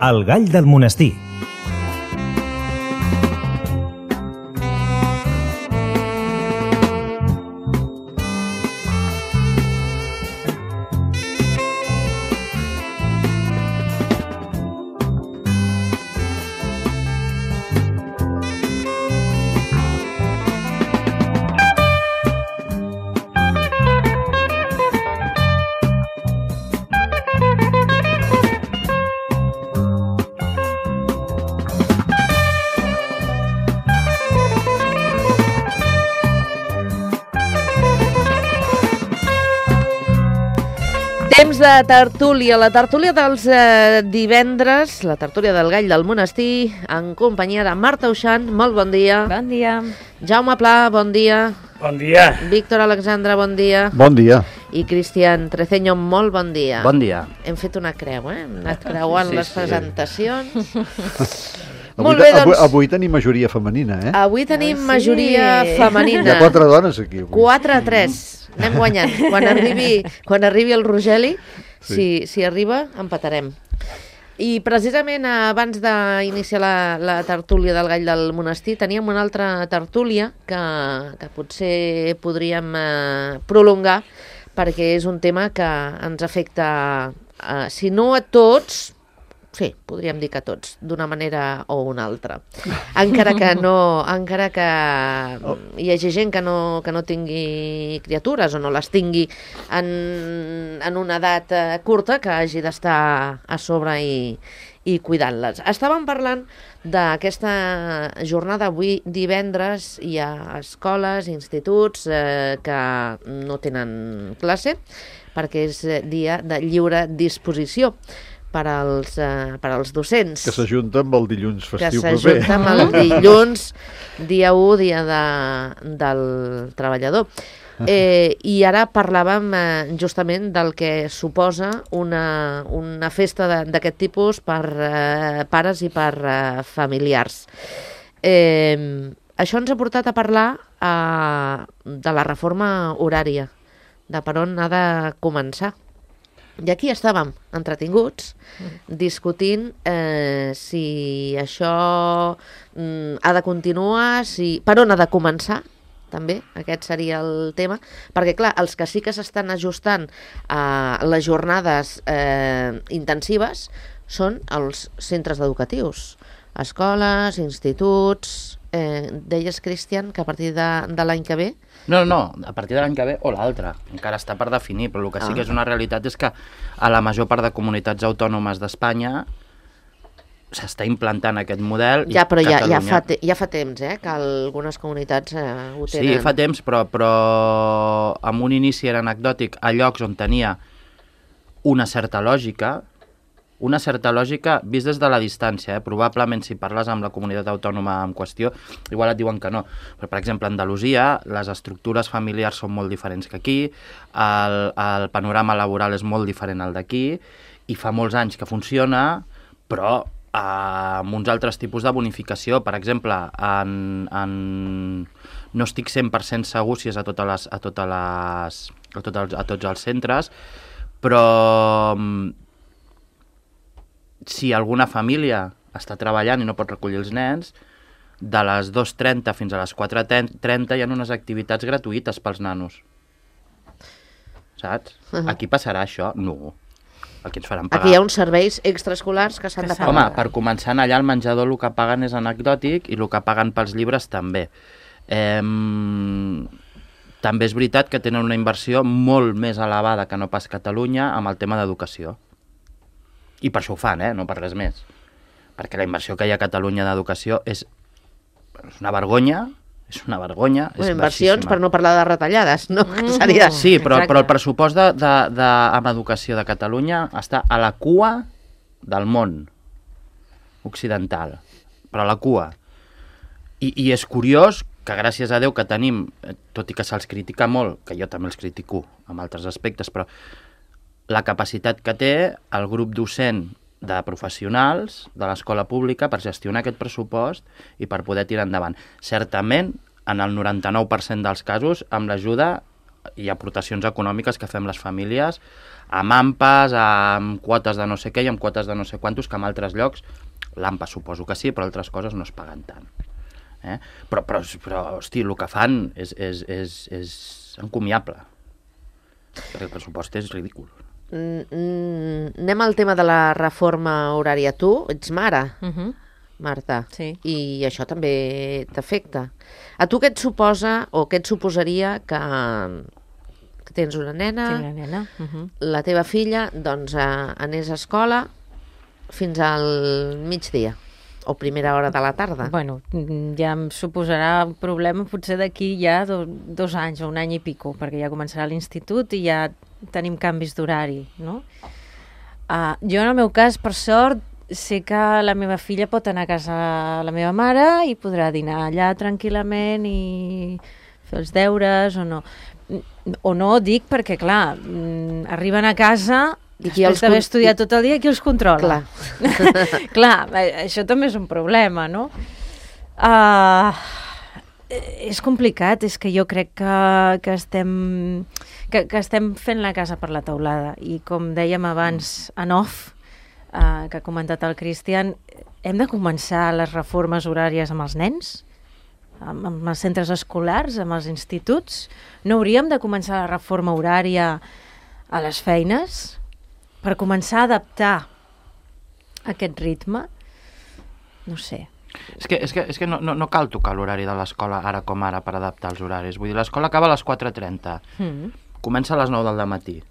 El gall del monestir. Temps de tertúlia, la tertúlia dels divendres, la tertúlia del gall del monestir, en companyia de Marta Uixant, molt bon dia. Bon dia. Jaume Pla, bon dia. Bon dia. Víctor Alexandre, bon dia. Bon dia. I Cristian Treceño, molt bon dia. Bon dia. Hem fet una creu, Hem anat creuant les presentacions. Molt bé, doncs. Avui tenim majoria femenina, Avui tenim majoria femenina. Hi ha 4 dones aquí. 4-3. Anem guanyant. Quan arribi el Rogeli, si arriba, empatarem. I precisament abans d'iniciar la tertúlia del gall del monestir teníem una altra tertúlia que potser podríem prolongar, perquè és un tema que ens afecta, si no a tots, sí, podríem dir que a tots, d'una manera o una altra. Encara que hi hagi gent que no tingui criatures o no les tingui en una edat curta, que hagi d'estar a sobre i cuidant-les. Estàvem parlant d'aquesta jornada. Avui divendres hi ha escoles, instituts que no tenen classe perquè és dia de lliure disposició per als docents. Que s'ajunta amb el dilluns festiu proper. Que s'ajunta amb el dilluns, dia 1, dia del treballador. I ara parlàvem justament del que suposa una festa d'aquest tipus per pares i per familiars. Això ens ha portat a parlar de la reforma horària, de per on ha de començar. I aquí estàvem entretinguts discutint si això ha de continuar, per on ha de començar, també, aquest seria el tema, perquè clar, els que sí que s'estan ajustant a les jornades intensives són els centres educatius, escoles, instituts. Deies, Cristian, que a partir de l'any que ve... No, a partir de l'any que ve o l'altre. Encara està per definir, però el que sí que és una realitat és que a la major part de comunitats autònomes d'Espanya s'està implantant aquest model. Ja, però ja fa temps, que algunes comunitats ho tenen. Sí, fa temps, però amb un inici era anecdòtic a llocs on tenia una certa lògica vist des de la distància. Probablement si parles amb la comunitat autònoma en qüestió, igual et diuen que no. Però, per exemple, a Andalusia les estructures familiars són molt diferents que aquí, el panorama laboral és molt diferent al d'aquí, i fa molts anys que funciona, però amb uns altres tipus de bonificació. Per exemple, no estic 100% segur si és a tots els centres, però si alguna família està treballant i no pot recollir els nens, de les 2:30 fins a les 4:30 hi ha unes activitats gratuïtes pels nanos. Saps? Aquí passarà això? No. Aquí ens faran pagar. Aquí hi ha uns serveis extraescolars que s'han de pagar. Home, per començar, allà al menjador el que paguen és anecdòtic i el que paguen pels llibres també. També és veritat que tenen una inversió molt més elevada que no pas Catalunya amb el tema d'educació. I per això ho fan, no per res més. Perquè la inversió que hi ha a Catalunya d'educació és una vergonya, és inversions, per no parlar de retallades, no? Seria... Sí, però el pressupost amb educació de Catalunya està a la cua del món occidental, però a la cua. I és curiós que gràcies a Déu que tenim, tot i que se'ls critica molt, que jo també els critico amb altres aspectes, però la capacitat que té el grup docent de professionals de l'escola pública per gestionar aquest pressupost i per poder tirar endavant. Certament, en el 99% dels casos, amb l'ajuda hi ha aportacions econòmiques que fem les famílies amb AMPAs, amb quotes de no sé què i amb quotes de no sé quantos, que en altres llocs, l'AMPA suposo que sí, però altres coses no es paguen tant. Però hosti, el que fan és encomiable. El pressupost és ridícul. Anem al tema de la reforma horària. Tu ets mare, Marta, Sí. i això també t'afecta. A tu què et suposa o què et suposaria que tens una nena, Tinc la nena. la teva filla, doncs anés a escola fins al migdia o primera hora de la tarda? Bueno, ja em suposarà un problema potser d'aquí ja 2 anys o un any i pico, perquè ja començarà l'institut i ja tenim canvis d'horari, no? Jo en el meu cas, per sort, sé que la meva filla pot anar a casa de la meva mare i podrà dinar allà tranquil·lament i fer els deures o no. O no, dic perquè, clar, arriben a casa I qui els després d'haver estudiat tot el dia, qui els controla? Clar. Clar, això també és un problema, no? És complicat, és que jo crec que estem fent la casa per la teulada i com dèiem abans en off, que ha comentat el Cristian, hem de començar les reformes horàries amb els nens, amb els centres escolars, amb els instituts. No hauríem de començar la reforma horària a les feines per començar a adaptar aquest ritme? No sé. És que no cal tocar l'horari de l'escola ara com ara per adaptar els horaris. Vull dir, l'escola acaba a les 4:30. Comença a les 9 del matí.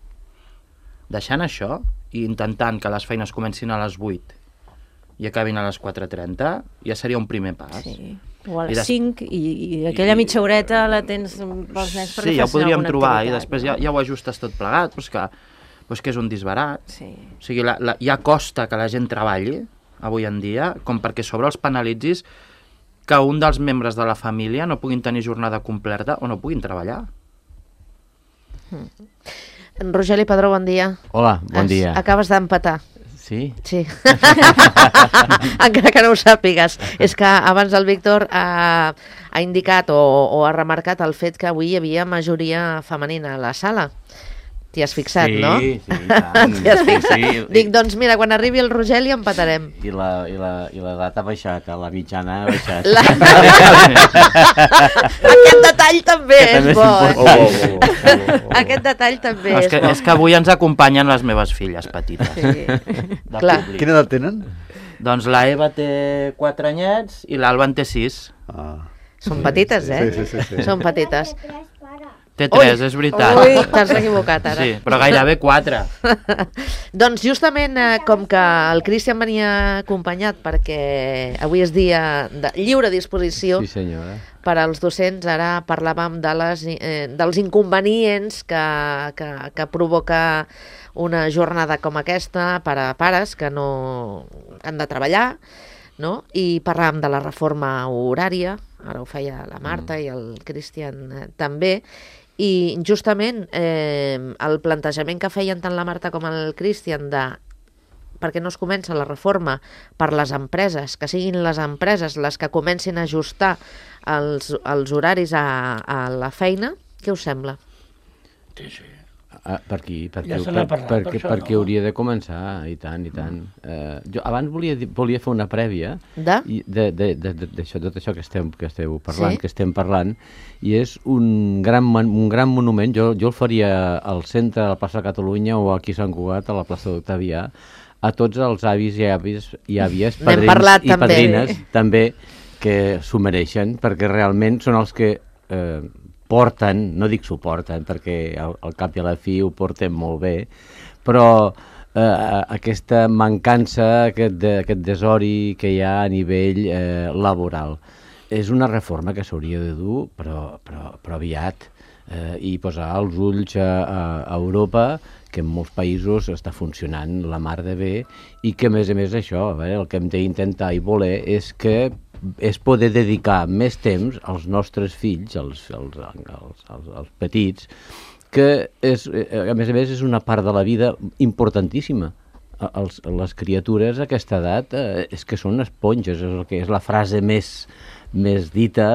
Deixant això i intentant que les feines comencin a les 8 i acabin a les 4:30, ja seria un primer pas. Sí. O a les 5 i aquella mitja horeta la tens pels nens perquè sí, ja ho facin podríem alguna trobar activitat, i després ja ho ajustes tot plegat, però és que és un disbarat. Sí. O sigui, ja costa que la gent treballi avui en dia, com perquè sobre els penalitzis que un dels membres de la família no puguin tenir jornada completa o no puguin treballar. Rogeli Padró, bon dia. Hola, bon dia. Acabes d'empatar. Sí? Sí. Encara que no ho sàpigues. És que abans el Víctor ha indicat o ha remarcat el fet que avui hi havia majoria femenina a la sala. T'hi has fixat, sí, no? Sí, tant. T'hi has fixat. Sí. Dic, doncs mira, quan arribi el Rogeli empatarem. I l'edat ha baixat, la mitjana ha baixat. Aquest detall també és bo. Aquest detall també és bo. És que avui ens acompanyen les meves filles petites. Sí. Clar. Quina edat tenen? Doncs la Eva té 4 anyets i l'Alba en té 6. Són petites, eh? Sí. Són petites. Té 3, és veritat. Ui, t'has equivocat ara. Sí, però gairebé 4. Doncs justament com que el Cristian venia acompanyat perquè avui és dia de lliure disposició Sí, senyora. per als docents, ara parlàvem dels inconvenients que provoca una jornada com aquesta per a pares que han de treballar, no? I parlàvem de la reforma horària, ara ho feia la Marta i el Cristian també, i justament el plantejament que feien tant la Marta com el Cristian perquè no es comença la reforma per les empreses, que siguin les empreses les que comencin a ajustar els horaris a la feina, què us sembla? Sí. Per aquí, Ja se n'ha parlat, per això, perquè no? hauria de començar, i tant. Jo abans volia fer una prèvia De? d'això, tot això que esteu parlant, Sí? que estem parlant, i és un gran monument. Jo el faria al centre de la plaça de Catalunya o aquí a Sant Cugat, a la plaça d'Octavià, a tots els avis i àvies, N'hem padrins parlat, i també. padrines, també, que s'ho mereixen, perquè realment són els que porten, no dic suporten, perquè al cap i a la fi ho porten molt bé, però aquesta mancança, aquest desori que hi ha a nivell laboral. És una reforma que s'hauria de dur, però aviat, i posar els ulls a Europa, que en molts països està funcionant la mar de bé, i que a més això, el que hem d'intentar i voler és poder dedicar més temps als nostres fills, als petits, que a més és una part de la vida importantíssima. Les criatures a aquesta edat és que són esponges, és la frase més dita,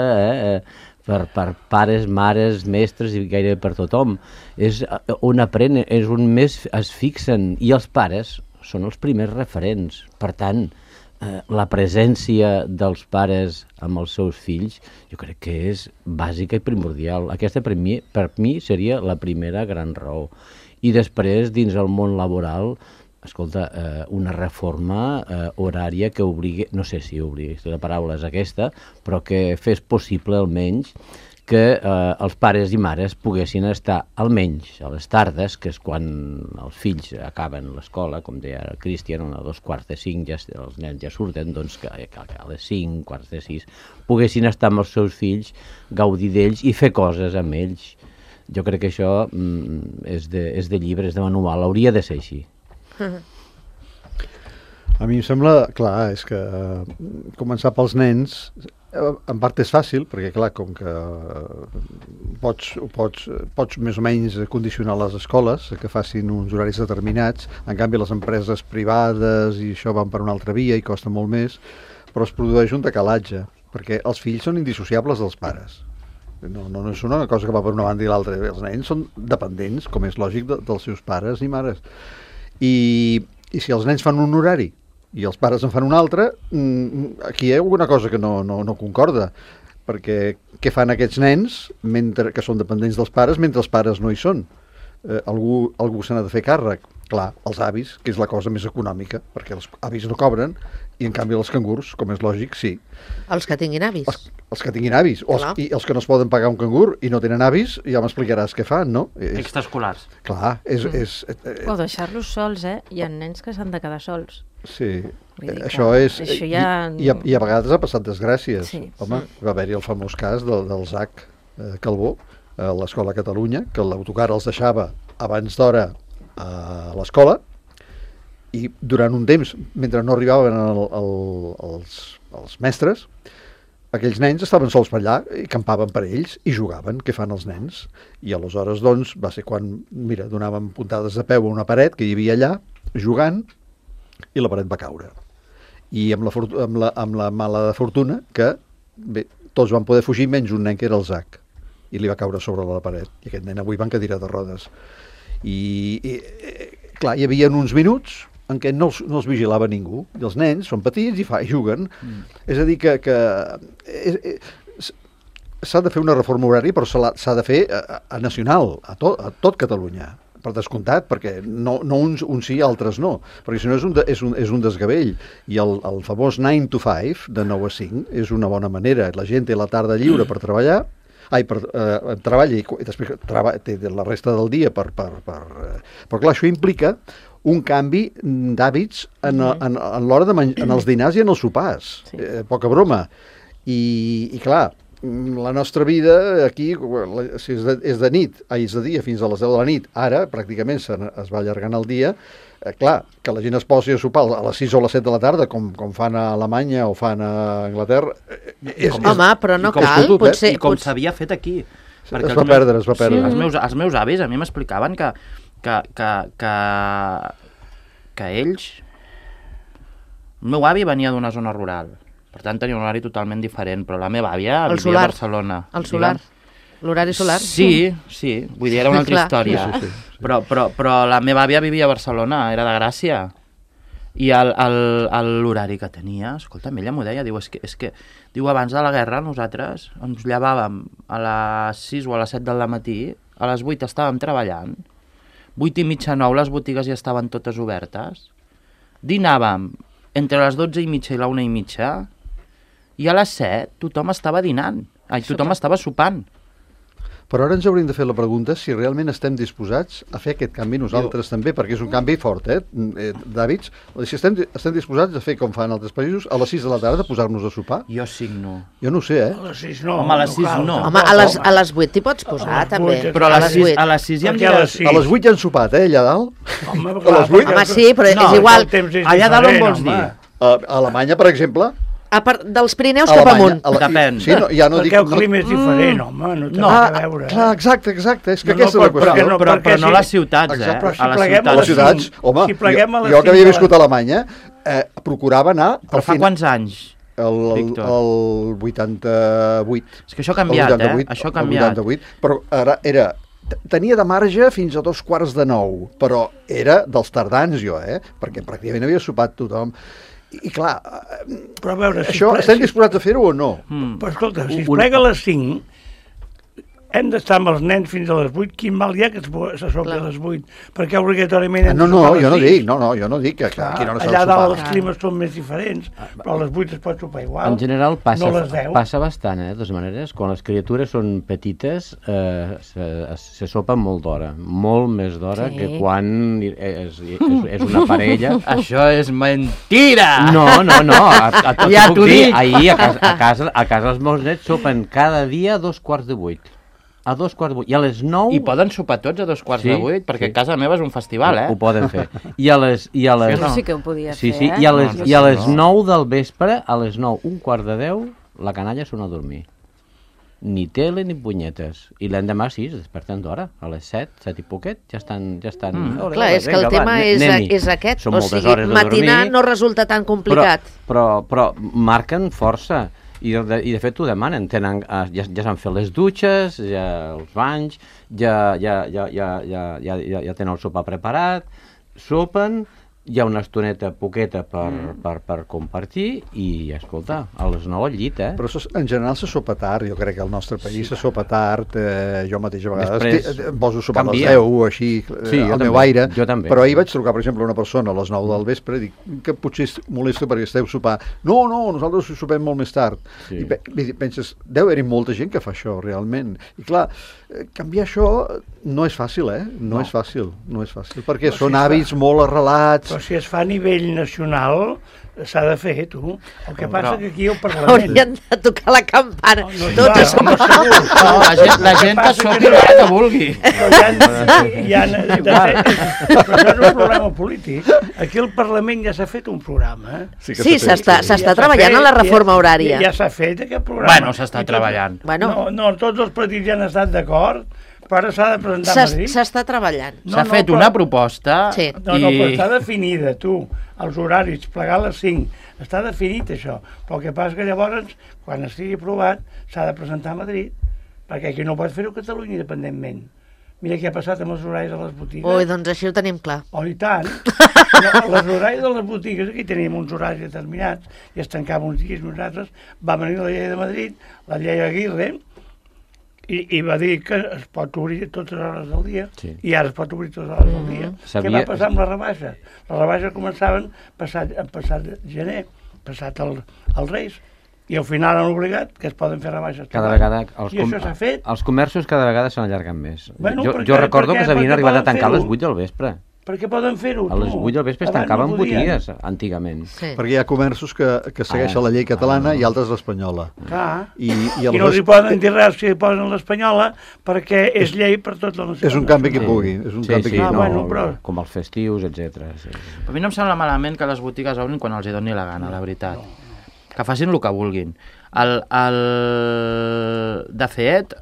per pares, mares, mestres i gairebé per tothom. És on aprenen, és on més es fixen, i els pares són els primers referents. Per tant, la presència dels pares amb els seus fills jo crec que és bàsica i primordial. Aquesta per mi seria la primera gran raó. I després, dins el món laboral, escolta, una reforma horària que obligui, no sé si obligui, la paraula és aquesta, però que fes possible almenys que els pares i mares poguessin estar almenys a les tardes, que és quan els fills acaben l'escola, com deia el Cristian, a 2:45 ja, els nens ja surten, doncs que a les 5, 5:45, poguessin estar amb els seus fills, gaudir d'ells i fer coses amb ells. Jo crec que això és de llibre, és de manual, hauria de ser així. A mi em sembla, clar, és que començar pels nens en part és fàcil, perquè clar, com que pots més o menys condicionar les escoles que facin uns horaris determinats, en canvi les empreses privades i això van per una altra via i costa molt més, però es produeix un decalatge, perquè els fills són indissociables dels pares. No és una cosa que va per una banda i l'altra. Els nens són dependents, com és lògic, dels seus pares i mares. I si els nens fan un horari i els pares en fan un altre, aquí hi ha alguna cosa que no concorda, perquè què fan aquests nens que són dependents dels pares mentre els pares no hi són? Algú se n'ha de fer càrrec. Clar, els avis, que és la cosa més econòmica, perquè els avis no cobren, i en canvi els cangurs, com és lògic, sí. Els que tinguin avis. Els que tinguin avis, i els que no es poden pagar un cangur i no tenen avis, ja m'explicaràs què fan, no? Extraescolars. Clar, O deixar-los sols, Hi ha nens que s'han de quedar sols. Sí, això és... Això ja... I a vegades ha passat desgràcies. Sí. Home, va haver-hi el famós cas del Zac Calbó, a l'Escola Catalunya, que l'autocar els deixava abans d'hora a l'escola, i durant un temps, mentre no arribaven els mestres, aquells nens estaven sols per allà i campaven per ells i jugaven. Què fan els nens? I aleshores, doncs, va ser quan, mira, donàvem puntades de peu a una paret que hi havia allà, jugant, i la paret va caure. I amb la mala fortuna que, bé, tots van poder fugir menys un nen que era el Zac, i li va caure sobre la paret. I aquest nen avui va en cadira de rodes. I clar, hi havia uns minuts en què no els vigilava ningú, i els nens són petits i juguen. És a dir, que s'ha de fer una reforma horària, però s'ha de fer a nacional, a tot Catalunya, per descomptat, perquè no uns sí i altres no, perquè si no és un desgavell. I el famós 9 to 5, de 9 a 5, és una bona manera. La gent té la tarda lliure per treballar, treballa i després té la resta del dia però clar, això implica un canvi d'hàbits en l'hora de menjar, en els dinars i en els sopars. Sí. Poca broma. I clar, la nostra vida aquí, si és de nit, és de dia fins a les 10 de la nit, ara pràcticament es va allargant el dia, clar, que la gent es posi a sopar a les 6 o a les 7 de la tarda, com fan a Alemanya o fan a Anglaterra... Home, però no cal, potser... I com s'havia fet aquí. Es va perdre. Sí, els meus avis a mi m'explicaven que ells... El meu avi venia d'una zona rural, per tant tenia un horari totalment diferent, però la meva àvia vivia a Barcelona. El solar. L'horari solar? Sí, vull dir, era una altra història. Sí. Però la meva àvia vivia a Barcelona, era de Gràcia. I l'horari que tenia, escolta, ella m'ho deia, diu, és que diu, abans de la guerra nosaltres ens llevàvem a les 6 o a les 7 del matí, a les 8 estàvem treballant, 8 i mitja, 9 les botigues ja estaven totes obertes, dinàvem entre les 12 i mitja i la 1 i mitja, i a les 7 tothom estava dinant, tothom estava sopant. Però ara ens hauríem de fer la pregunta si realment estem disposats a fer aquest canvi nosaltres també, perquè és un canvi fort, d'hàbits. Si estem disposats a fer com fan altres països, a les 6 de la tarda posar-nos a sopar? Jo 5 no. Jo no ho sé, A les 6 no. Home, a les 6 no. Home, a les 8 t'hi pots posar, també. Però a les 6 ja em diràs... A les 8 ja han sopat, allà dalt? Home, a les 8? Home, sí, però és igual. Allà dalt on vols dir? A Alemanya, per exemple... Dels Pirineus cap amunt. Depèn. Sí, ja no dic... Perquè el clima és diferent, home, no té res a veure. Clar, exacte, és que aquesta és la qüestió. Però no a les ciutats, Però si a les ciutats, home, jo que havia viscut a Alemanya, procurava anar... Però fa quants anys? Víctor. el 88. És que això ha canviat, Això ha canviat. El 88, però ara tenia de marge fins a 8:45, però era dels tardans jo, perquè pràcticament havia sopat tothom. I clar, Però a veure, això estem disposats a fer-ho o no? Però escolta, si es plega a les 5, hem d'estar amb els nens fins a les 8, quin mal hi ha que se sopli a les 8? Perquè obligatorament hem de No, sopar a les jo no 6. dic, jo no dic que aquí no s'ha de Allà dalt els sopar. climes són més diferents, però a les 8 es pot sopar igual. En general passa, No les 10. passa bastant, de totes maneres. Quan les criatures són petites se sopa molt d'hora, molt més d'hora Sí. que quan és una parella. Això és mentira! No, a tot Ja puc t'ho dir. dic. Ahir a casa els meus nets sopen cada dia a 7:45. A 7:45. I a les 9... I poden sopar tots a 7:45, Sí, perquè sí. casa meva és un festival, Ho poden fer. I a les... Jo sí que ho podia Sí, fer, i a les No. 9 del vespre, a les 9, 9:45, la canalla sona a dormir. Ni tele ni punyetes. I l'endemà sí, es desperten d'hora. A les 7 i poquet, ja estan... Ole, Clar, ole, és que el vinga, tema va, és anem-hi. aquest. Són O moltes sigui, hores de matinar dormir, no resulta tan complicat. però marquen força. I de fet ho demanen. Ja s'han fet les dutxes, ja els banys, ja tenen el sopar preparat, sopen, hi ha una estoneta poqueta per compartir i, escolta, a les 9 al llit, Però en general se sopa tard, jo crec que al nostre país se sopa tard, jo mateix a vegades Després em poso a sopar a les canvia. 10 o així, Sí, jo al meu també, aire, jo també. però ahir vaig trucar, per exemple, a una persona a les 9 del vespre i dic que potser molesta perquè esteu sopar. No, nosaltres sopem molt més tard. Sí. I penses, deu haver-hi molta gent que fa això, realment. I clar, canviar això no és fàcil, No és fàcil, perquè són hàbits molt arrelats. Però si es fa a nivell nacional, s'ha de fer, tu. El que passa que aquí al Parlament... Haurien de tocar la campana. No, Tots clar, a sopar. No, la gent que sopi l'hora que vulgui. Però això és un problema polític. Aquí al Parlament ja s'ha fet un programa. que Sí, s'ha fet, s'està treballant en la reforma horària. Ja s'ha fet aquest programa. Bueno, s'està treballant. Bueno, No, tots els partits ja han estat d'acord, però ara s'ha de presentar a Madrid. s'està treballant. S'ha fet una proposta Sí. No, però està definida, tu, els horaris, plegar a les 5, està definit això, però el que passa que llavors, quan estigui aprovat, s'ha de presentar a Madrid, perquè aquí no pot fer-ho a Catalunya independentment. Mira què ha passat amb els horaris de les botigues. Ui, doncs així ho tenim clar. Oh, i tant. No, els horaris de les botigues, aquí teníem uns horaris determinats, i es tancava uns dies, nosaltres, va venir la llei de Madrid, la llei Aguirre, i va dir que es pot obrir totes les hores del dia, Sí. i ara es pot obrir totes les hores del dia. Què va passar amb les rebaixes? Les rebaixes començaven passat gener, passat el Reis, i al final han obligat que es poden fer rebaixes. Cada tot vegada l'any. I això s'ha fet. els comerços cada vegada se n'allarguen més. Bueno, Jo recordo que s'havien perquè arribat a poden tancar a les fer-ho. 8 del vespre. Perquè poden fer-ho. A les tu. 8 del vespre es Abans tancaven no podien. botigues, antigament. Sí. Perquè hi ha comerços que segueixen la llei catalana i altres l'espanyola. Clar. I I no li poden dir res si posen l'espanyola perquè és llei per tota la nació. és un canvi que pugui. És un canvi sí, que... Ah, bueno, però- com els festius, etc. Sí. A mi no em sembla malament que les botigues obrin quan els hi doni la gana, la veritat. Que facin el que vulguin. De fet,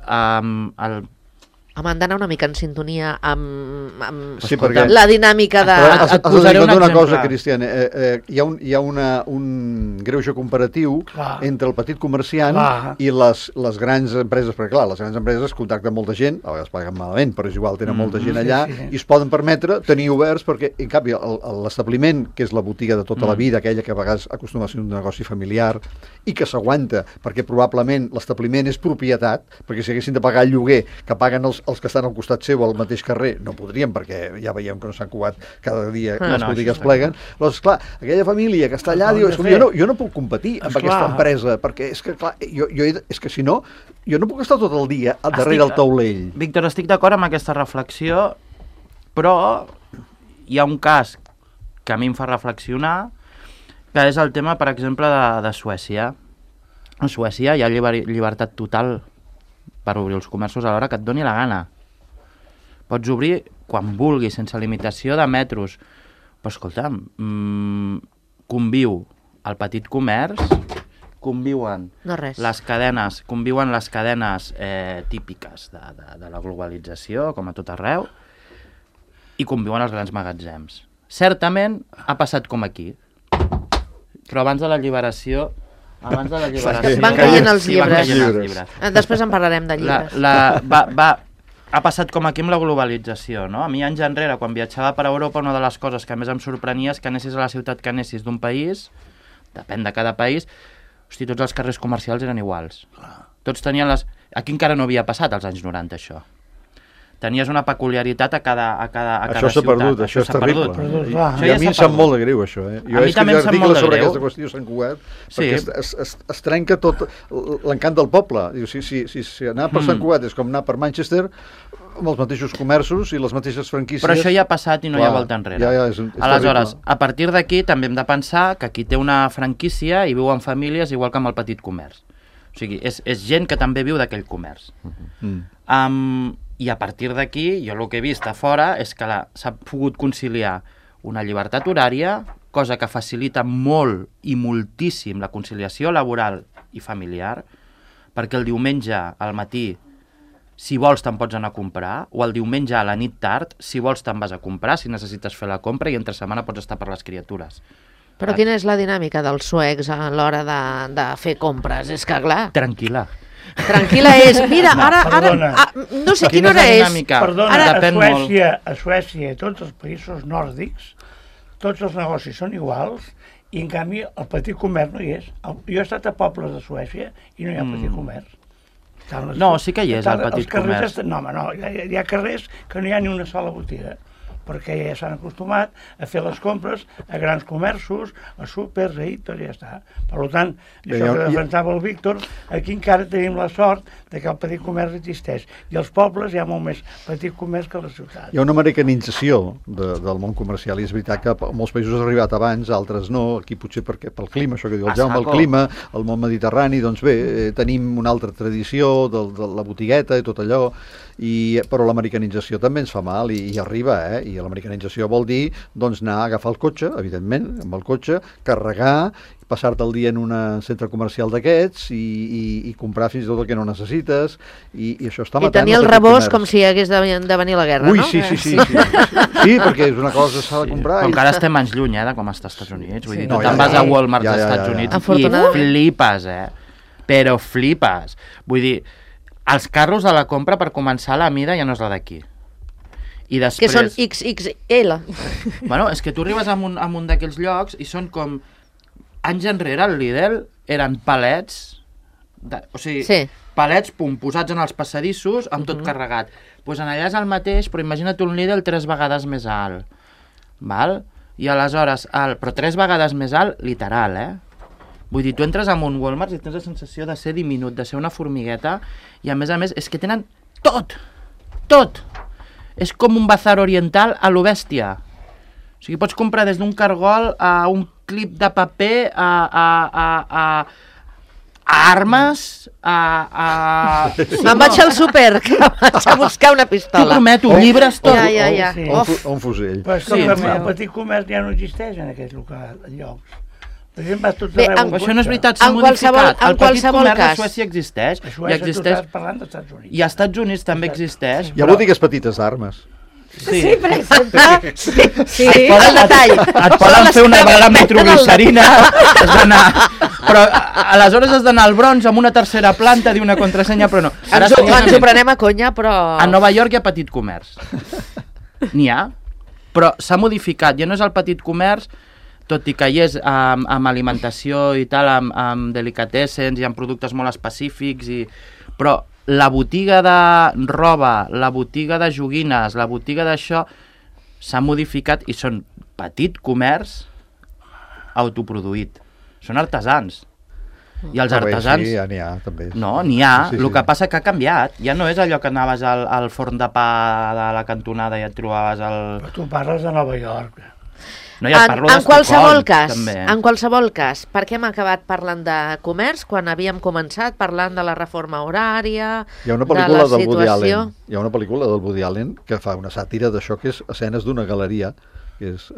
Home, han d'anar una mica en sintonia amb Sí, perquè... la dinàmica de... Però has de posaré tenir un una exemple. cosa, Cristian. Hi ha un greuge comparatiu Clar. entre el petit comerciant Clar. i les grans empreses, perquè clar, les grans empreses contacten molta gent, a vegades paguen malament, però és igual, tenen molta gent allà, sí. i es poden permetre tenir oberts, perquè en canvi l'establiment, que és la botiga de tota la vida, aquella que a vegades acostuma a ser un negoci familiar, i que s'aguanta, perquè probablement l'establiment és propietat, perquè si haguessin de pagar el lloguer que paguen els que estan al costat seu al mateix carrer, no podrien, perquè ja veiem que no s'han cubat cada dia que les botigues això pleguen. Llavors, clar, aquella família que està allà diu, jo no puc competir amb aquesta empresa, perquè és que, clar, és que si no, jo no puc estar tot el dia darrere el taulell. Víctor, estic d'acord amb aquesta reflexió, però hi ha un cas que a mi em fa reflexionar, que és el tema, per exemple, de Suècia. A Suècia hi ha llibertat total per obrir els comerços a l'hora que et doni la gana. Pots obrir quan vulguis, sense limitació de metros. Però escolta, conviu el petit comerç, conviuen No res. les cadenes típiques de la globalització, com a tot arreu, i conviuen els grans magatzems. Certament ha passat com aquí, però abans de l'alliberació Abans de l'alliberació. Van caient els Sí, van llibres. caient els llibres. Després en parlarem de llibres. Ha passat com aquí amb la globalització, no? A mi anys enrere, quan viatjava per Europa, una de les coses que més em sorprenia és que anessis a la ciutat que anessis d'un país, depèn de cada país, hosti, tots els carrers comercials eren iguals. Tots tenien les... Aquí encara no havia passat als anys 90, això. Tenies una peculiaritat a cada Això s'ha ciutat. perdut, això és terrible. Perdut, clar. I a mi em sap molt de greu, això. Jo A mi he també em escrit sap molt articles de sobre greu. aquesta qüestió a Sant Cugat, Sí. perquè es trenca tot l'encant del poble. Diu, si anar per Sant Cugat és com anar per Manchester, amb els mateixos comerços i les mateixes franquícies... Però això ja ha passat i no hi ha Clar, volta enrere. ja, és Aleshores, terrible. a partir d'aquí també hem de pensar que aquí té una franquícia i viu en famílies igual que amb el petit comerç. O sigui, és gent que també viu d'aquell comerç. I a partir d'aquí, jo el que he vist a fora és que s'ha pogut conciliar una llibertat horària, cosa que facilita molt i moltíssim la conciliació laboral i familiar, perquè el diumenge al matí, si vols te'n pots anar a comprar, o el diumenge a la nit tard, si vols te'n vas a comprar, si necessites fer la compra, i entre setmana pots estar per les criatures. Però quina és la dinàmica dels suecs a l'hora de fer compres? És que, clar, Tranquil·la. tranquil·la és... Mira, ara perdona. no sé quina hora és la és. dinàmica? Perdona, Depèn molt. a Suècia i tots els països nòrdics, tots els negocis són iguals, i en canvi el petit comerç no hi és. Jo he estat a pobles de Suècia i no hi ha petit comerç. No, sí que hi és, el petit comerç. No, home, no, hi ha carrers que no hi ha ni una sola botiga, perquè ja s'han acostumat a fer les compres a grans comerços, a súpers, a Hitos, i ja està. Per tant, això que defensava el Víctor, aquí encara tenim la sort de que el petit comerç existeix. I als pobles hi ha molt més petit comerç que a la ciutat. Hi ha una americanització del món comercial, i és veritat que a molts països ha arribat abans, altres no, aquí potser perquè pel clima, això que diu el Jaume, el clima, el món mediterrani, doncs bé, tenim una altra tradició de la botigueta i tot allò, però l'americanització també ens fa mal i arriba, i l'americanització vol dir doncs anar a agafar el cotxe, evidentment, amb el cotxe, carregar, passar-te el dia en un centre comercial d'aquests i comprar fins i tot el que no necessites, i això està matant... I tenir el rebost com si hagués de venir la guerra, Ui, no? sí. Sí, perquè és una cosa que s'ha de comprar. Com que ara estem anys lluny, de com està als Estats Units. Vull dir, tu No, te'n ja, vas a Walmart dels Estats Units i Afortunadament. flipes, Però flipes. Vull dir, els carros de la compra, per començar, la mida ja no és la d'aquí. I després... Que són XXL. Bueno, és que tu arribes a un d'aquells llocs i són com... Anys enrere, al Lidl, eren palets, palets, posats en els passadissos, amb tot carregat. Doncs allà és el mateix, però imagina't un Lidl 3 vegades més alt. Val? I aleshores, però 3 vegades més alt, literal, Vull dir, tu entres en un Walmart i tens la sensació de ser diminut, de ser una formigueta, i a més, és que tenen tot! Tot! És com un bazar oriental a lo bèstia. O sigui, pots comprar des d'un cargol a un clip de paper, a armes, Me'n vaig al súper, que vaig a buscar una T'ho pistola. prometo, llibres tot. Ja. Sí. O un fusell. Però és que Sí, el petit comerç ja no existeix en aquests llocs. Per exemple, vas tots Bé, arreu amb Això no és cotxe. veritat, s'ha En modificat. qualsevol- en El petit qualsevol comerç cas. a Suècia existeix. A I Suècia tu existeix. estàs parlant dels Estats Units. I als Estats Units també existeix. Hi ha botigues petites d'armes. Sí, per exemple. Sí. El detall. Et poden fer una bala metroglicerina, has d'anar... Però aleshores has d'anar al Bronx amb una tercera planta, dir una contrasenya, però no. Ens ho prenem a conya, però... A Nova York hi ha petit comerç. N'hi ha, però s'ha modificat. Ja no és el petit comerç, tot i que hi és amb alimentació i tal, amb delicatessens i amb productes molt específics, però la botiga de roba, la botiga de joguines, la botiga d'això, s'ha modificat i són petit comerç autoproduït. Són artesans. I els artesans... Sí, ja n'hi ha, també. No, n'hi ha. Sí, El que passa que ha canviat. Ja no és allò que anaves al forn de pa de la cantonada i et trobaves el... Però tu parles de Nova York. No, ja et parlo En qualsevol d'Estocolm, cas, també. en qualsevol cas, per què hem acabat parlant de comerç quan havíem començat parlant de la reforma horària, Hi ha una de pel·lícula la del Woody situació... Allen. Hi ha una pel·lícula del Woody Allen que fa una sàtira d'això que és escenes d'una galeria, que és,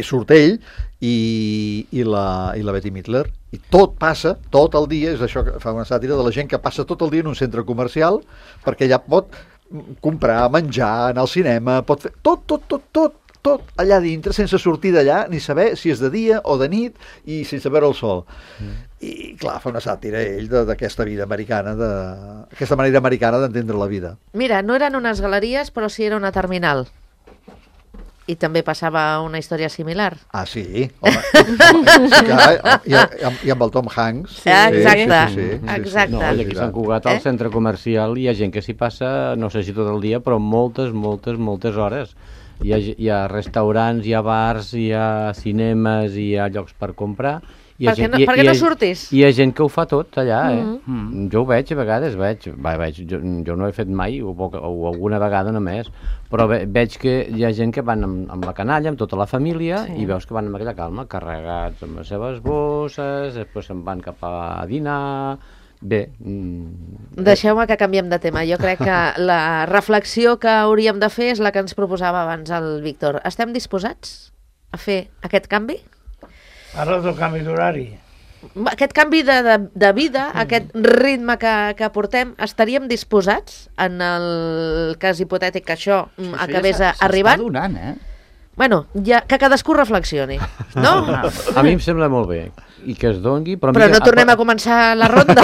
surt ell i la Bette Midler, i tot passa, tot el dia, és això que fa una sàtira de la gent que passa tot el dia en un centre comercial, perquè allà pot comprar, menjar, anar al cinema, pot fer tot tot allà dintre, sense sortir d'allà, ni saber si és de dia o de nit, i sense veure el sol. I, clar, fa una sàtira ell d'aquesta vida americana, d'aquesta manera americana d'entendre la vida. Mira, no eren unes galeries, però sí era una terminal. I també passava una història similar. Ah, sí? Home, clar, i amb el Tom Hanks. Sí, exacte, sí. exacte. No, i aquí a Sant Cugat, al centre comercial, hi ha gent que s'hi passa, no sé si tot el dia, però moltes hores. Hi ha restaurants, hi ha bars, hi ha cinemes, hi ha llocs per comprar. Per què no surtis? Hi ha gent que ho fa tot allà, Jo ho veig a vegades, jo no ho he fet mai, o alguna vegada només, però veig que hi ha gent que van amb la canalla, amb tota la família, i veus que van amb aquella calma, carregats amb les seves bosses, després se'n van cap a dinar... Bé... Deixeu-me que canviem de tema. Jo crec que la reflexió que hauríem de fer és la que ens proposava abans el Víctor. Estem disposats a fer aquest canvi? Parles del canvi d'horari. Aquest canvi de vida, aquest ritme que portem, estaríem disposats, en el cas hipotètic que això acabés arribant? S'està donant, Bueno, ja, que cadascú reflexioni, no? A mi em sembla molt bé, i que es dongui... Però no tornem a començar la ronda.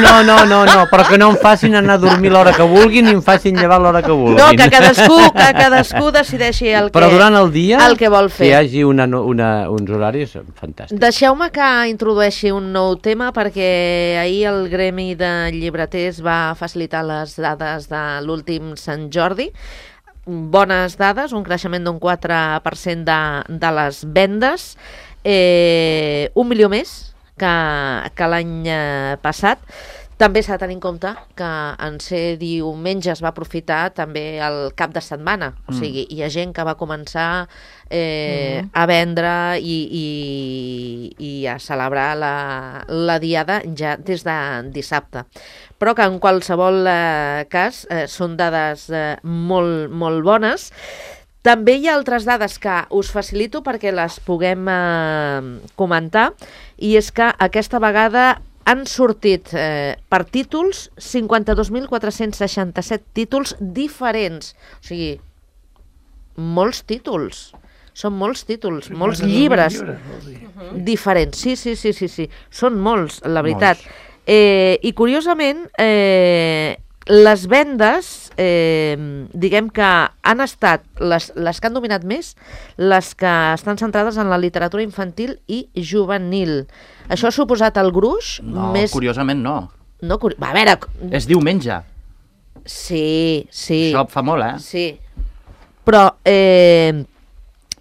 No, però que no em facin anar a dormir l'hora que vulguin ni em facin llevar l'hora que vulguin. No, que cadascú decideixi el que, però durant el dia, el que vol fer. Que hi hagi uns horaris fantàstics. Deixeu-me que introdueixi un nou tema, perquè ahir el Gremi de Llibreters va facilitar les dades de l'últim Sant Jordi. Bones dades, un creixement d'un 4% de les vendes, 1 milió més que l'any passat. També s'ha de tenir en compte que en ser diumenge es va aprofitar també el cap de setmana, o sigui, hi ha gent que va començar a vendre i a celebrar la diada ja des de dissabte. Però que en qualsevol cas són dades molt, molt bones. També hi ha altres dades que us facilito perquè les puguem comentar, i és que aquesta vegada han sortit per títols 52.467 títols diferents. O sigui, molts títols. Són molts títols, molts llibres diferents. Sí. Són molts, la veritat. I curiosament, les vendes, diguem que han estat les que han dominat més, les que estan centrades en la literatura infantil i juvenil. Això ha suposat el gruix? No, curiosament no. A veure... És diumenge. Sí. Això fa molt, Sí. Però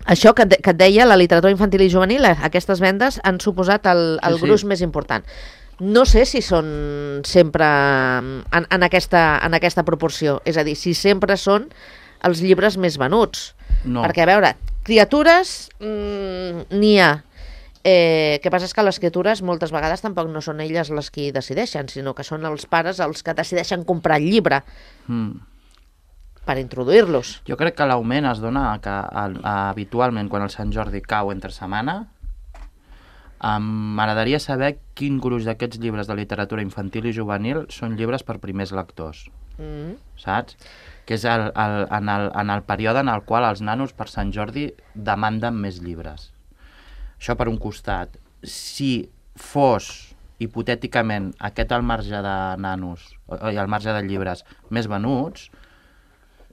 això que et deia, la literatura infantil i juvenil, aquestes vendes han suposat el gruix més important. No sé si són sempre en aquesta proporció, és a dir, si sempre són els llibres més venuts. No. Perquè, a veure, criatures n'hi ha. Que passa és que les criatures moltes vegades tampoc no són elles les que decideixen, sinó que són els pares els que decideixen comprar el llibre per introduir-los. Jo crec que l'augment es dona que habitualment quan el Sant Jordi cau entre setmana. M'agradaria saber quin gruix d'aquests llibres de literatura infantil i juvenil són llibres per primers lectors, saps? Que és en el període en el qual els nanos per Sant Jordi demanden més llibres. Això per un costat. Si fos, hipotèticament, aquest al marge de nanos, i al marge de llibres més venuts,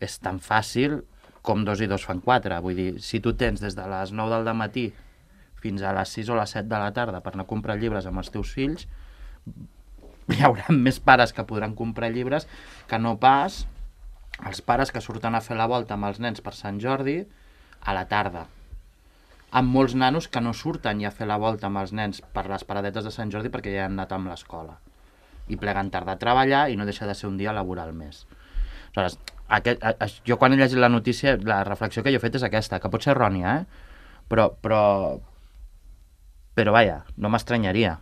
és tan fàcil com 2 i 2 fan 4. Vull dir, si tu tens des de les 9 del matí fins a les 6 o les 7 de la tarda per anar a comprar llibres amb els teus fills, hi haurà més pares que podran comprar llibres que no pas els pares que surten a fer la volta amb els nens per Sant Jordi a la tarda. Amb molts nanos que no surten ja a fer la volta amb els nens per les paradetes de Sant Jordi perquè ja han anat amb l'escola. I pleguen tard a treballar i no deixa de ser un dia laboral més. Aleshores, jo quan he llegit la notícia, la reflexió que jo he fet és aquesta, que pot ser errònia, però vaja, no m'estranyaria.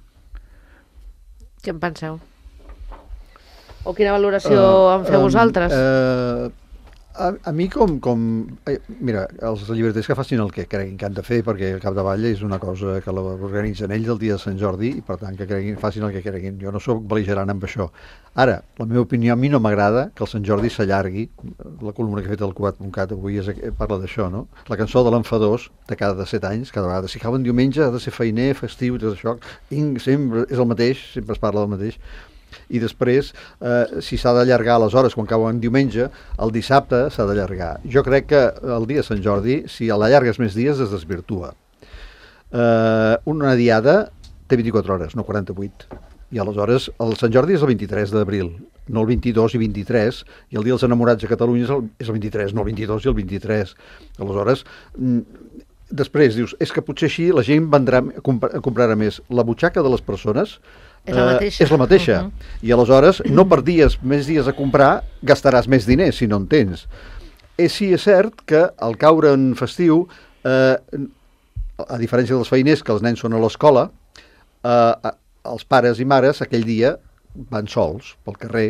Què en penseu? O quina valoració en feu vosaltres? A mi mira, els llibreters que facin el que creguin que han de fer, perquè al capdavall és una cosa que l'organitzen ells el dia de Sant Jordi i per tant que facin el que creguin. Jo no sóc bel·ligerant amb això. Ara, la meva opinió, a mi no m'agrada que el Sant Jordi s'allargui. La columna que he fet al Cugat.cat avui parla d'això, no? La cançó de l'Enfadós de cada 7 anys, cada vegada. Si cau en diumenge ha de ser feiner, festiu i tot això. Sempre és el mateix, sempre es parla del mateix. I després, si s'ha d'allargar aleshores quan cau en diumenge, el dissabte s'ha d'allargar. Jo crec que el dia de Sant Jordi, si l'allargues més dies, es desvirtua. Una diada té 24 hores, no 48. I aleshores el Sant Jordi és el 23 d'abril, no el 22 i 23, i el dia dels enamorats a Catalunya és el 23, no el 22 i el 23. Aleshores, després dius, és que potser així la gent comprarà més. La butxaca de les persones és la mateixa. I aleshores, no per més dies a comprar, gastaràs més diners si no en tens. Sí, és cert que al caure en festiu, a diferència dels feiners, que els nens són a l'escola, els pares i mares aquell dia van sols pel carrer,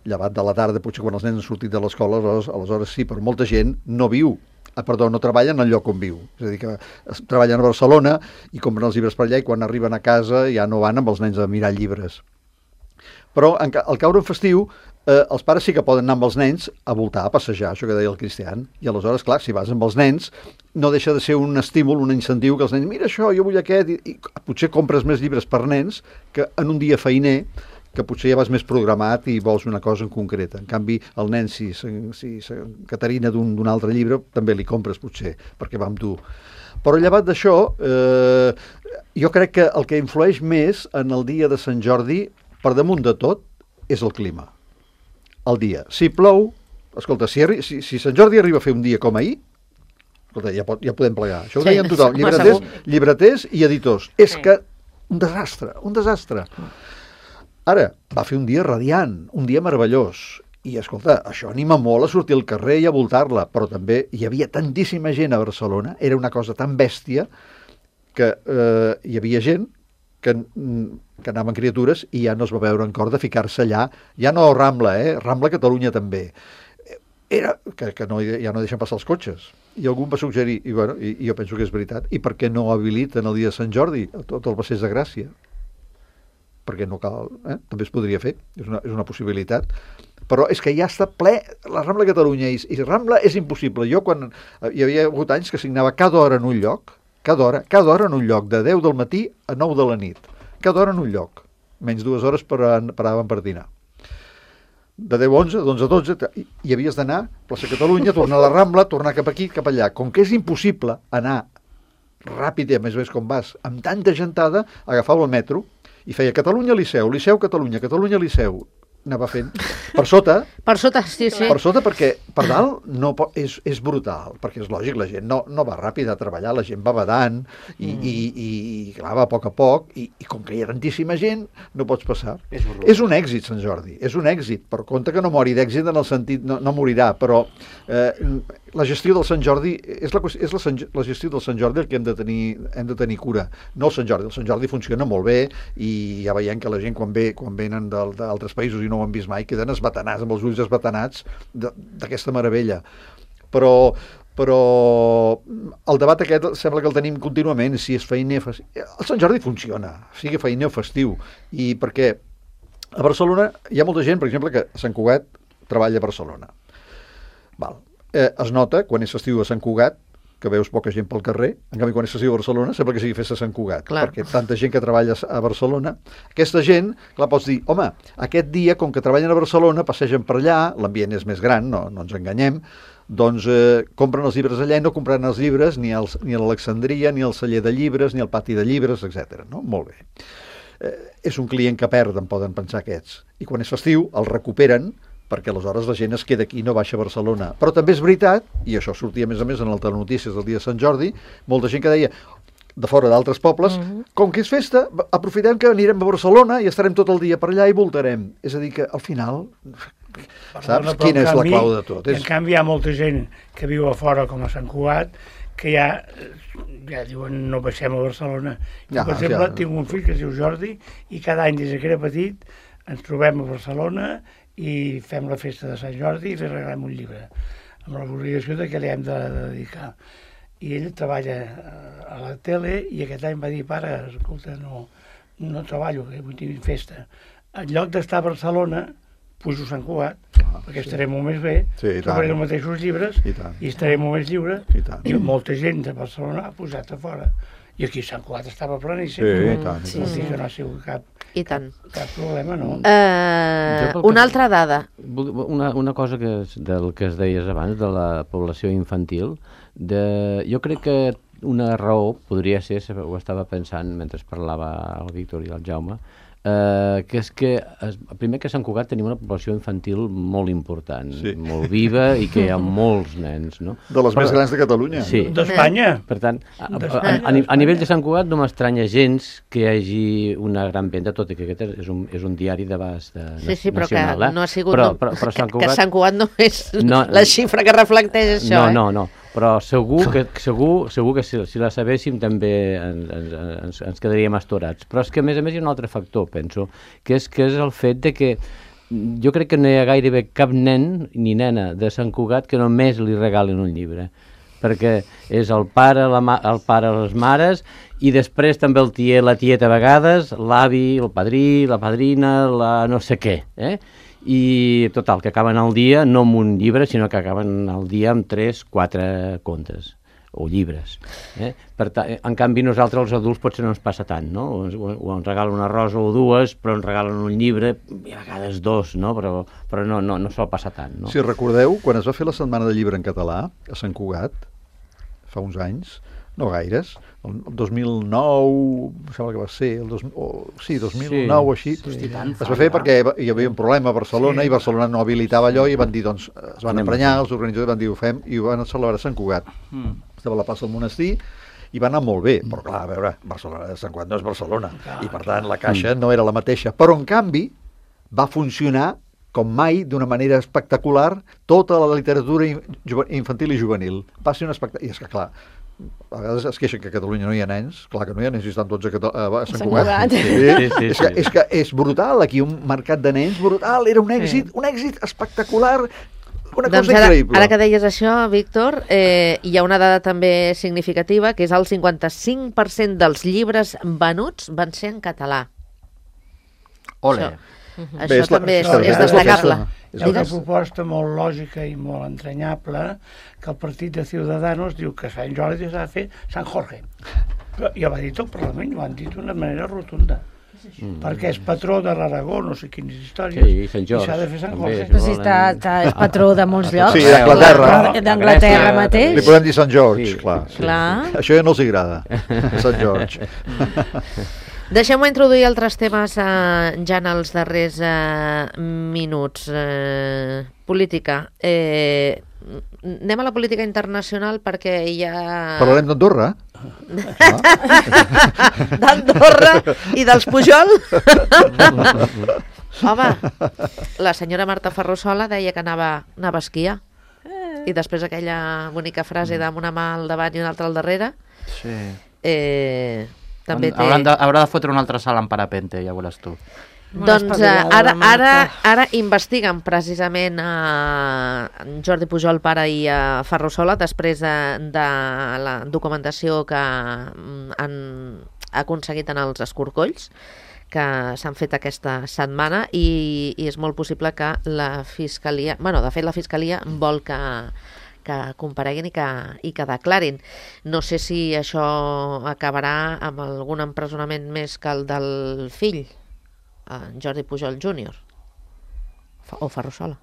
llevat de la tarda, potser quan els nens han sortit de l'escola, aleshores sí, però molta gent no viu. No treballen al lloc on viu. És a dir, que treballen a Barcelona i compren els llibres per allà i quan arriben a casa ja no van amb els nens a mirar llibres. Però al caure en festiu, els pares sí que poden anar amb els nens a voltar, a passejar, això que deia el Cristian. I aleshores, clar, si vas amb els nens, no deixa de ser un estímul, un incentiu que els nens, mira això, jo vull aquest, i potser compres més llibres per nens que en un dia feiner, que potser ja vas més programat i vols una cosa en concreta. En canvi, el nen, si Caterina d'un altre llibre, també li compres potser, perquè va amb tu. Però llevat d'això, jo crec que el que influeix més en el dia de Sant Jordi, per damunt de tot, és el clima. El dia. Si plou, escolta, si Sant Jordi arriba a fer un dia com ahir, escolta, ja podem plegar. Això ho deien tothom, llibreters i editors. És que un desastre. Ara, va fer un dia radiant, un dia meravellós, i escolta, això anima molt a sortir al carrer i a voltar-la, però també hi havia tantíssima gent a Barcelona, era una cosa tan bèstia, que hi havia gent que anaven criatures i ja no es va veure en cor de ficar-se allà, ja no Rambla, Rambla Catalunya també. Era que ja no deixen passar els cotxes. I algú va suggerir, i jo penso que és veritat, i per què no habiliten el dia de Sant Jordi tot el Passeig de Gràcia? Perquè no cal, també es podria fer, és una possibilitat, però és que ja està ple la Rambla Catalunya, i Rambla és impossible. Jo quan hi havia hagut anys que signava cada hora en un lloc, cada hora en un lloc, de 10 del matí a 9 de la nit, cada hora en un lloc, menys 2 hores paràvem per dinar. De 10 a 11, d'11 a 12, i havies d'anar a plaça Catalunya, tornar a la Rambla, tornar cap aquí, cap allà. Com que és impossible anar ràpid, a més com vas, amb tanta gentada, agafava el metro, i feia Catalunya Liceu, Liceu Catalunya, Catalunya Liceu. Anava fent per sota. Per sota, sí. Per sota, perquè per dalt és brutal, perquè és lògic, la gent no va ràpid a treballar, la gent va badant i clar, va a poc, i com que hi ha tantíssima gent, no pots passar. És un èxit, Sant Jordi, és un èxit, per compte que no mori d'èxit en el sentit, no morirà, però la gestió del Sant Jordi, és la gestió del Sant Jordi el que hem de tenir cura, no el Sant Jordi. El Sant Jordi funciona molt bé i ja veiem que la gent quan venen d'altres països i no ho han vist mai, queden esbatanats, amb els ulls esbatanats d'aquesta meravella. Però el debat aquest sembla que el tenim contínuament, si és feiner... El Sant Jordi funciona, sigui feiner o festiu, i perquè a Barcelona hi ha molta gent, per exemple, que a Sant Cugat treballa a Barcelona. Es nota, quan és festiu a Sant Cugat, que veus poca gent pel carrer, en canvi quan és festiu a Barcelona sembla que sigui festa a Sant Cugat, perquè tanta gent que treballa a Barcelona, aquesta gent, clar, pots dir, home, aquest dia, com que treballen a Barcelona, passegen per allà, l'ambient és més gran, no ens enganyem, doncs compren els llibres allà i no compraran els llibres ni a l'Alexandria, ni al celler de llibres, ni al pati de llibres, etc. No? Molt bé. És un client que perden, poden pensar aquests. I quan és festiu, el recuperen, perquè aleshores la gent es queda aquí i no baixa a Barcelona. Però també és veritat, i això sortia a més en el Telenotícies del dia de Sant Jordi, molta gent que deia, de fora d'altres pobles, com que és festa, aprofitem que anirem a Barcelona i estarem tot el dia per allà i voltarem. És a dir, que al final, saps quina és la clau de tot? En canvi, hi ha molta gent que viu a fora, com a Sant Cugat, que ja diuen no baixem a Barcelona. Per exemple, tinc un fill que es diu Jordi i cada any des que era petit ens trobem a Barcelona i fem la festa de Sant Jordi i li regalem un llibre, amb l'obligació de que li hem de dedicar. I ell treballa a la tele i aquest any va dir, pare, escolta, no treballo, que vull tenir festa. En lloc d'estar a Barcelona, pujo a Sant Cugat, perquè estaré molt més bé, trobaré els mateixos llibres i estaré molt més lliure. I molta gent de Barcelona ha posat a fora. I aquí Sant Cugat estava planíssim. Vol dir que no ha sigut cap problema, no? Una altra dada. Una cosa del que es deies abans, de la població infantil, jo crec que una raó podria ser, ho estava pensant mentre parlava el Víctor i el Jaume, que és que, primer que a Sant Cugat tenim una població infantil molt important, molt viva i que hi ha molts nens, no? De les més grans de Catalunya. Sí. D'Espanya. Per tant, a nivell de Sant Cugat no m'estranya gens que hi hagi una gran venda, tot i que aquest és un diari d'abast nacional. Sí, però que no ha sigut... Però que Sant Cugat no és la xifra que reflecteix això, No, però segur que si la sabéssim també ens quedaríem astorats. Però és que a més hi ha un altre factor, penso, que és el fet de que jo crec que no hi ha gairebé cap nen ni nena de Sant Cugat que només li regalen un llibre, perquè és el pare, les mares, i després també el tiet, la tieta a vegades, l'avi, el padrí, la padrina, la no sé què, i total, que acaben el dia no amb un llibre, sinó que acaben el dia amb 3-4 contes o llibres. Per tant, en canvi nosaltres els adults potser no ens passa tant, no? O ens regalen una rosa o dues, però ens regalen un llibre, i a vegades dos, no? Però no sol passar tant, no? Si recordeu, quan es va fer la Setmana del Llibre en català a Sant Cugat, fa uns anys, no gaires, el 2009, em sembla que va ser, 2009 o així, es va fer perquè hi havia un problema a Barcelona i Barcelona no habilitava allò i van dir, doncs, es van emprenyar, els organitzadors van dir, ho fem, i ho van celebrar a Sant Cugat. Estava a la plaça del Monestir i va anar molt bé, però clar, a veure, Sant Cugat no és Barcelona, i per tant la caixa no era la mateixa, però en canvi va funcionar com mai, d'una manera espectacular, tota la literatura infantil i juvenil. Va ser un espectacle. I és que, clar, a vegades es queixen que a Catalunya no hi ha nens. Clar que no hi ha nens, estan tots a Sant Cugat. És que és brutal, aquí un mercat de nens brutal, era un èxit espectacular, una cosa increïble. Ara que deies això, Víctor, hi ha una dada també significativa, que és el 55% dels llibres venuts van ser en català. Ole! Això també és destacable. És una proposta molt lògica i molt entranyable, que el partit de Ciudadanos diu que Sant Jordi s'ha de fer Sant Jorge. Però ja va dir tot el Parlament, ho han dit d'una manera rotunda. Perquè és patró de l'Aragó, no sé quines històries, i s'ha de fer Sant Jorge. Però si és patró de molts llocs. Sí, d'Anglaterra. D'Anglaterra mateix. Li podem dir Sant George, clar. Això ja no els agrada, Sant George. Deixem-ho introduir altres temes ja en els darrers minuts. Política. Anem a la política internacional perquè hi ha... Parlarem d'Andorra? D'Andorra i dels Pujol? Home, la senyora Marta Ferrusola deia que anava a esquiar. I després aquella bonica frase amb una mà al davant i una altra al darrere. Sí. També haurà de fotre un altre salt en parapente, ja veuràs tu. Doncs ara investiguen precisament Jordi Pujol pare i Ferrusola després de la documentació que han aconseguit en els escorcolls que s'han fet aquesta setmana i és molt possible que la Fiscalia, de fet la Fiscalia vol que compareguin i que declarin. No sé si això acabarà amb algun empresonament més que el del fill, Jordi Pujol Júnior o Ferrusola.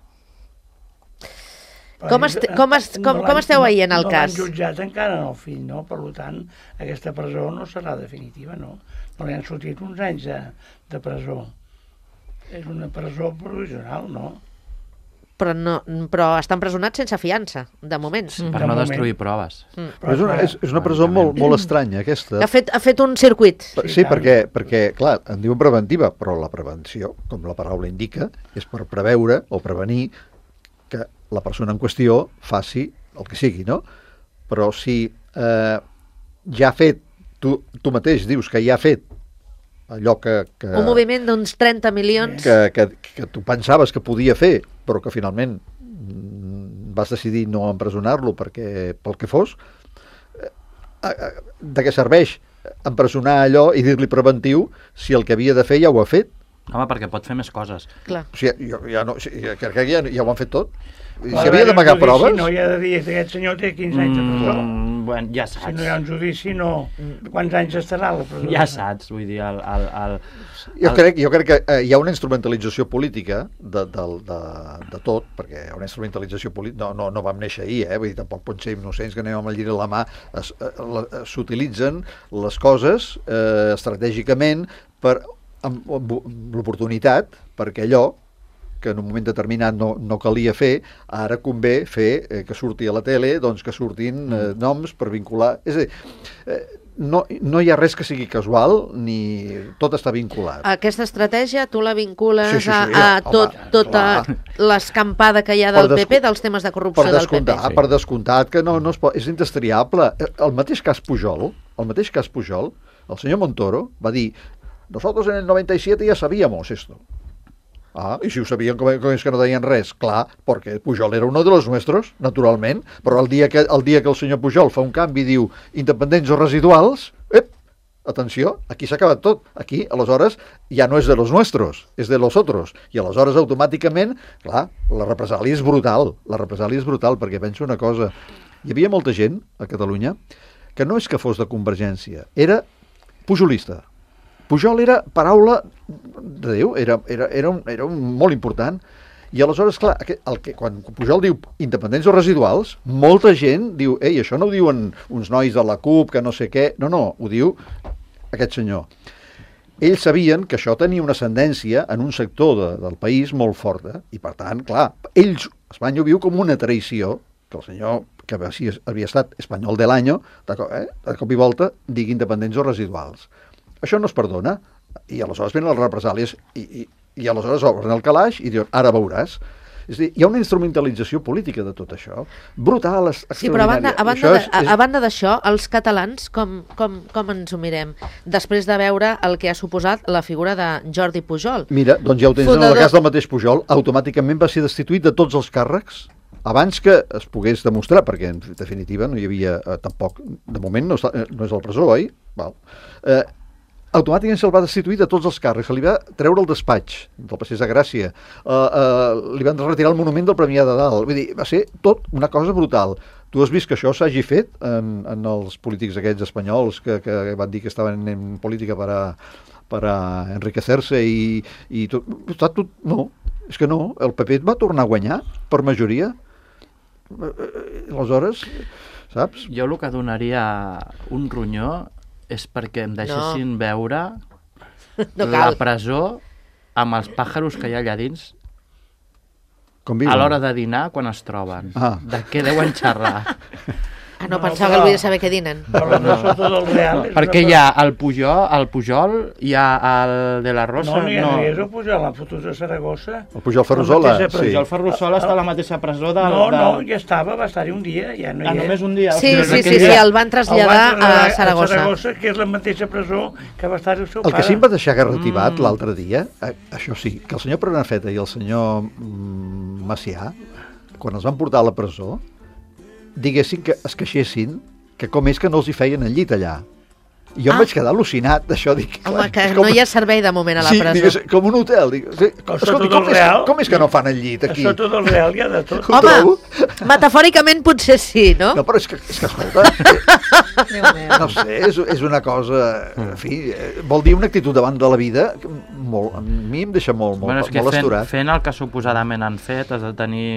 Com esteu veient el cas? No l'han jutjat encara en el fill, no? Per tant, aquesta presó no serà definitiva, no? No li han sortit uns anys de presó. És una presó provisional, no? Però està empresonat sense fiança, de moment. Per no destruir proves. Però és una presó molt estranya, aquesta. Ha fet un circuit. Sí, perquè, clar, en diuen preventiva, però la prevenció, com la paraula indica, és per preveure o prevenir que la persona en qüestió faci el que sigui, no? Però si ja ha fet, tu mateix dius que ja ha fet allò que Un moviment d'uns 30 milions. que tu pensaves que podia fer, però que finalment vas decidir no empresonar-lo pel que fos, de què serveix empresonar allò i dir-li preventiu si el que havia de fer ja ho ha fet? Home, perquè pot fer més coses. Clar. O sigui, jo ja no, crec que ja ho han fet tot. Si havia d'amagar proves... Si no hi ha de dir que aquest senyor té 15 anys de presó. Bueno, ja saps. Si no hi ha un judici, no. Quants anys estarà a la presó? Ja saps, vull dir, Jo crec que hi ha una instrumentalització política de tot, perquè hi ha una instrumentalització política, no vam néixer ahir, vull dir, tampoc pot ser innocents que anem amb el lliri a la mà, s'utilitzen les coses estratègicament amb l'oportunitat perquè allò que en un moment determinat no calia fer, ara convé fer que surti a la tele, doncs que surtin noms per vincular. És a dir, no hi ha res que sigui casual, ni tot està vinculat. Aquesta estratègia tu la vincules Sí, a tota l'escampada que hi ha del PP, dels temes de corrupció del PP. Per descomptat que no es pot, és indestriable. El mateix cas Pujol, el senyor Montoro va dir: nosotros en el 97 ya sabíamos esto. I si ho sabien, com és que no deien res? Clar, perquè Pujol era uno de los nuestros, naturalment, però el dia que el senyor Pujol fa un canvi i diu independents o residuals, atenció, aquí s'ha acabat tot. Aquí, aleshores, ja no és de los nuestros, és de los otros. I aleshores, automàticament, clar, la represàlia és brutal, perquè penso una cosa. Hi havia molta gent a Catalunya que no és que fos de Convergència, era pujolista. Pujol era paraula de Déu, era molt important. I aleshores, clar, quan Pujol diu independents o residuals, molta gent diu, això no ho diuen uns nois de la CUP, que no sé què. No, ho diu aquest senyor. Ells sabien que això tenia una ascendència en un sector del país molt forta, i per tant, clar, Espanya ho viu com una traïció, que el senyor, que havia estat espanyol de l'any, de cop i volta, digui independents o residuals. Això no es perdona, i aleshores venen les represàlies i aleshores obren el calaix i diuen, ara veuràs. És a dir, hi ha una instrumentalització política de tot això, brutal, extraordinària. Sí, però a banda d'això, els catalans, com ens ho mirem? Després de veure el que ha suposat la figura de Jordi Pujol. Mira, doncs ja ho tens en el cas del mateix Pujol, automàticament va ser destituït de tots els càrrecs abans que es pogués demostrar, perquè en definitiva no hi havia tampoc, de moment no és a la presó, oi? Automàticament se'l va destituir de tots els càrrecs, se li va treure el despatx del Passeig de Gràcia, li van retirar el monument del Premià de Dalt, vull dir, va ser tot una cosa brutal. Tu has vist que això s'hagi fet en els polítics aquests espanyols que van dir que estaven en política per a enriquecer-se i tot, no, és que no, el PP va tornar a guanyar per majoria, aleshores, saps? Jo el que donaria un ronyó és perquè em deixessin veure la presó amb els pàjaros que hi ha allà dins a l'hora de dinar quan es troben. De què deuen xerrar? No, pensava que volia saber què dinen. Perquè hi ha el Pujol, hi ha el de la Rosa... No, és el Pujol, l'han fotut a Saragossa. El Pujol Ferrusola, sí. El Pujol Ferrusola està a la mateixa presó del... No, ja estava, va estar-hi un dia, ja no hi és. Només un dia? Sí, el van traslladar a Saragossa. A Saragossa, que és la mateixa presó que va estar el seu pare. El que sí em va deixar garrativat l'altre dia, això sí, que el senyor Prenafeta i el senyor Macià, quan els van portar a la presó, diguessin que es queixessin que com és que no els hi feien el llit allà. I jo em vaig quedar al·lucinat d'això. Home, que no hi ha servei de moment a la presó. Sí, digues, com un hotel. Escolti, com és que no fan el llit aquí? Això tot el real hi ha de tot. Home, metafòricament potser sí, no? No, però és que escolta, no sé, és una cosa, en fi, vol dir una actitud davant de la vida, a mi em deixa molt asturat. Fent el que suposadament han fet has de tenir...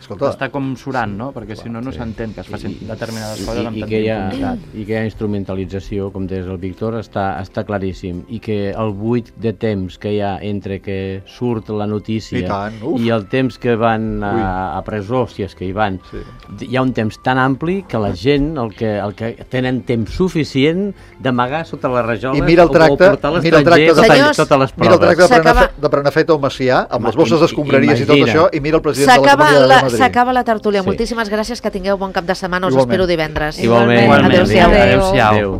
Està com surant, no? Perquè si no s'entén que es facin determinades coses amb tanta impunitat. I que hi ha instrumentalització, com deies el Víctor, està claríssim. I que el buit de temps que hi ha entre que surt la notícia i el temps que van a presó, si és que hi van, hi ha un temps tan ampli que la gent, el que tenen temps suficient d'amagar sota les rajoles o portar a l'estranger totes les proves. Mira el tracte de Prenafeta o Macià, amb les bosses d'escombraries i tot això, i mira el president de la Comunitat de Madrid. S'acaba la tertúlia. Moltíssimes gràcies, que tingueu bon cap de setmana. Us espero divendres. Igualment. Adéu-siau. Adéu-siau.